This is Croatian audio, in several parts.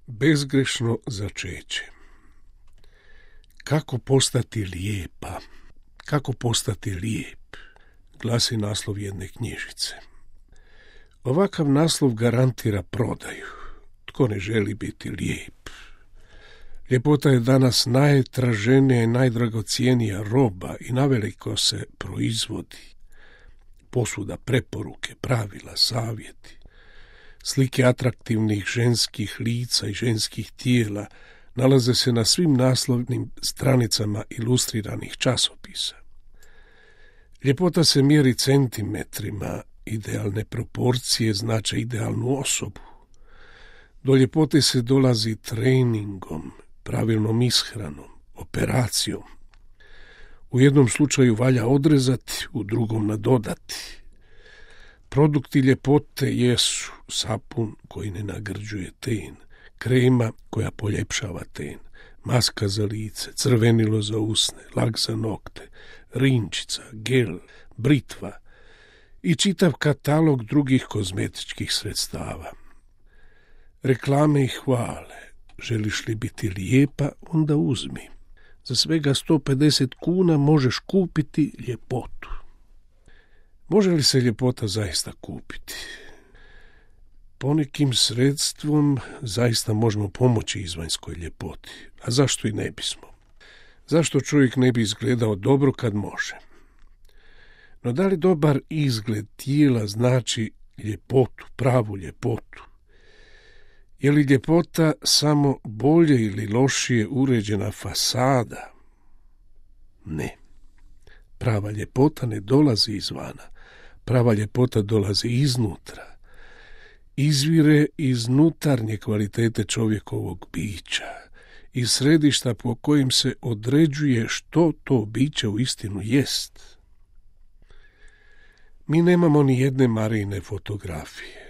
Bezgrešno začeće. Kako postati lijepa? Kako postati lijep? Glasi naslov jedne knjižice. Ovakav naslov garantira prodaju. Tko ne želi biti lijep? Ljepota je danas najtraženija i najdragocijenija roba i naveliko se proizvodi. Posvuda preporuke, pravila, savjeti. Slike atraktivnih ženskih lica i ženskih tijela nalaze se na svim naslovnim stranicama ilustriranih časopisa. Ljepota se mjeri centimetrima, idealne proporcije znače idealnu osobu. Do ljepote se dolazi treningom, pravilnom ishranom, operacijom. U jednom slučaju valja odrezati, u drugom nadodati. Produkti ljepote jesu sapun koji ne nagrđuje ten, krema koja poljepšava ten, maska za lice, crvenilo za usne, lak za nokte, rinčica, gel, britva i čitav katalog drugih kozmetičkih sredstava. Reklame i hvale. Želiš li biti lijepa, onda uzmi. Za svega 150 kuna možeš kupiti ljepotu. Može li se ljepota zaista kupiti? Ponekim sredstvom zaista možemo pomoći izvanjskoj ljepoti. A zašto i ne bismo? Zašto čovjek ne bi izgledao dobro kad može? No da li dobar izgled tijela znači ljepotu, pravu ljepotu? Je li ljepota samo bolje ili lošije uređena fasada? Ne. Prava ljepota ne dolazi izvana. Prava ljepota dolazi iznutra. Izvire iz unutarnje kvalitete čovjekovog bića, iz središta po kojim se određuje što to biće uistinu jest. Mi nemamo ni jedne Marijine fotografije.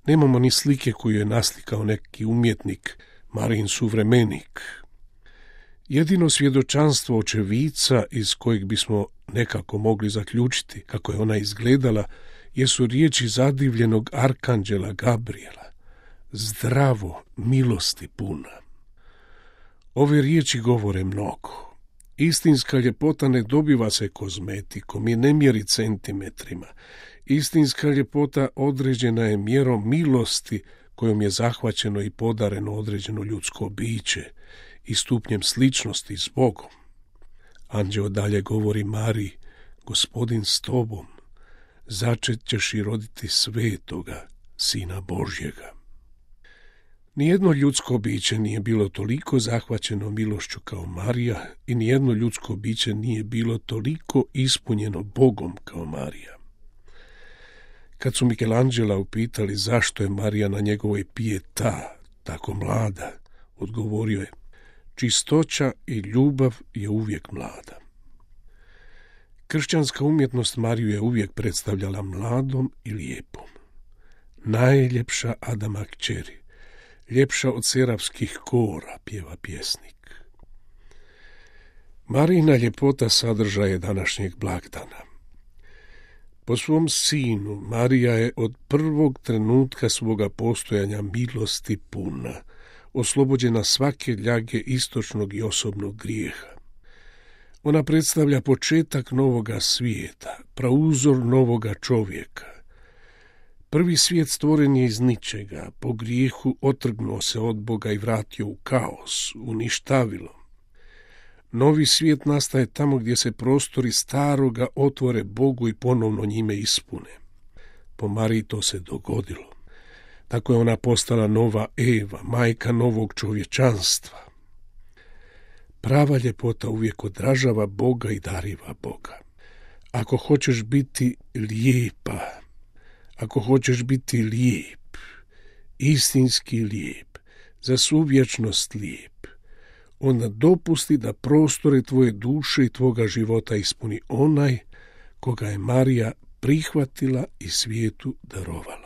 Nemamo ni slike koju je naslikao neki umjetnik, Marijin suvremenik. Jedino svjedočanstvo očevica iz kojeg bismo nekako mogli zaključiti kako je ona izgledala jesu riječi zadivljenog arkanđela Gabriela. Zdravo, milosti puna. Ove riječi govore mnogo. Istinska ljepota ne dobiva se kozmetikom i ne mjeri centimetrima. Istinska ljepota određena je mjerom milosti kojom je zahvaćeno i podareno određeno ljudsko biće i stupnjem sličnosti s Bogom. Anđeo dalje govori Mariji, Gospodin s tobom, začet ćeš i roditi svetoga, Sina Božjega. Nijedno ljudsko biće nije bilo toliko zahvaćeno milošću kao Marija i nijedno ljudsko biće nije bilo toliko ispunjeno Bogom kao Marija. Kad su Michelangela upitali zašto je Marija na njegovoj Pietà tako mlada, odgovorio je, čistoća i ljubav je uvijek mlada. Kršćanska umjetnost Mariju je uvijek predstavljala mladom i lijepom. Najljepša Adama kćeri, ljepša od serafskih kora, pjeva pjesnik. Marijina ljepota sadržaje današnjeg blagdana. Po svom sinu Marija je od prvog trenutka svoga postojanja milosti puna, oslobođena svake ljage istočnog i osobnog grijeha. Ona predstavlja početak novoga svijeta, prauzor novoga čovjeka. Prvi svijet stvoren je iz ničega, po grijehu otrgnuo se od Boga i vratio u kaos, uništavilo. Novi svijet nastaje tamo gdje se prostori staroga otvore Bogu i ponovno njime ispune. Po Mariji to se dogodilo. Tako je ona postala nova Eva, majka novog čovječanstva. Prava ljepota uvijek odražava Boga i dariva Boga. Ako hoćeš biti lijepa, ako hoćeš biti lijep, istinski lijep, za svu vječnost lijep, onda dopusti da prostore tvoje duše i tvoga života ispuni onaj koga je Marija prihvatila i svijetu darovala.